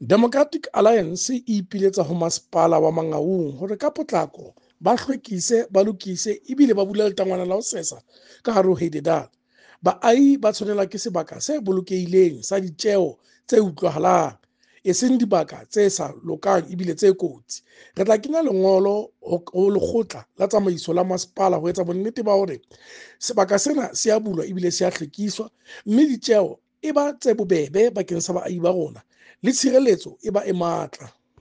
Democratic Alliance e ipiletsa ho masepala wa Mangaung hore ka potlako ba hlwekise, ba lokise ebile ba bule letangwana la ho sesa ka hare ho Heidedal. Baahi ba tshwanelwa ke sebaka se bolokehileng sa ditjeo tse utlwahalang, eseng dibaka tse sa lokang ebile tse kotsi. Re tla kenya lengolo ho lekgotla la tsamaiso la masepala ho etsa bonnete ba hore sebaka sena se a bulwa ebile se a hlwekiswa, mme ditjeo e ba tse bobebe bakeng sa baahi ba rona le tshireletso e ba e matla.